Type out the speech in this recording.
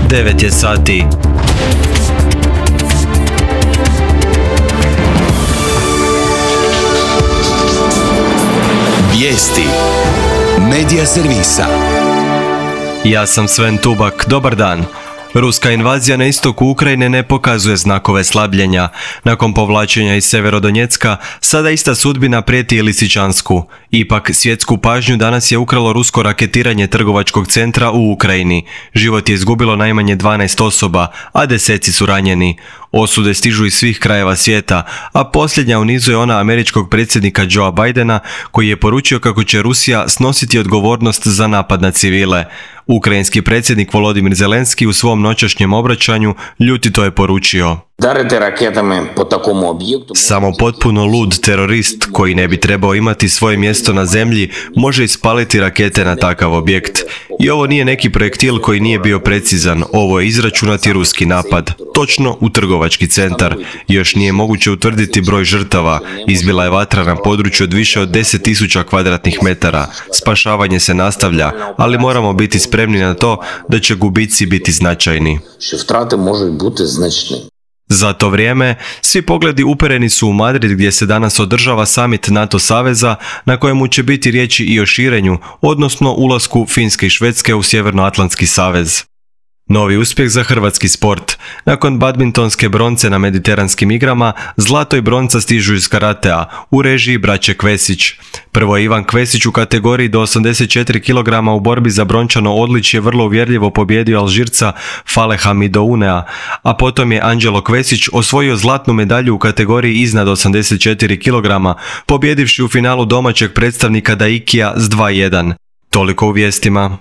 9 je sati. Vijesti Medija servisa. Ja sam Sven Tubak, dobar dan. Ruska invazija na istoku Ukrajine ne pokazuje znakove slabljenja. Nakon povlačenja iz Severodonjecka, sada ista sudbina prijeti i Lisičansku. Ipak, svjetsku pažnju danas je ukralo rusko raketiranje trgovačkog centra u Ukrajini. Život je izgubilo najmanje 12 osoba, a deseci su ranjeni. Osude stižu iz svih krajeva svijeta, a posljednja u nizu je ona američkog predsjednika Joea Bidena, koji je poručio kako će Rusija snositi odgovornost za napad na civile. Ukrajinski predsjednik Volodimir Zelenski u svom noćašnjem obraćanju ljutito je poručio: samo potpuno lud terorist koji ne bi trebao imati svoje mjesto na zemlji može ispaliti rakete na takav objekt. I ovo nije neki projektil koji nije bio precizan, ovo je izračunati ruski napad, točno u trgovački centar. Još nije moguće utvrditi broj žrtava, izbila je vatra na području od više od 10.000 kvadratnih metara. Spašavanje se nastavlja, ali moramo biti spremni na to da će gubici biti značajni. Za to vrijeme, svi pogledi upereni su u Madrid gdje se danas održava summit NATO saveza na kojemu će biti riječi i o širenju, odnosno ulasku Finske i Švedske u Sjevernoatlantski savez. Novi uspjeh za hrvatski sport. Nakon badmintonske bronce na mediteranskim igrama, zlato i bronca stižu iz karatea u režiji braće Kvesić. Prvo je Ivan Kvesić u kategoriji do 84 kg u borbi za brončano odličje vrlo uvjerljivo pobijedio Alžirca Faleha Midounea, a potom je Anđelo Kvesić osvojio zlatnu medalju u kategoriji iznad 84 kg, pobjedivši u finalu domaćeg predstavnika Daikija s 2:1. Toliko u vijestima.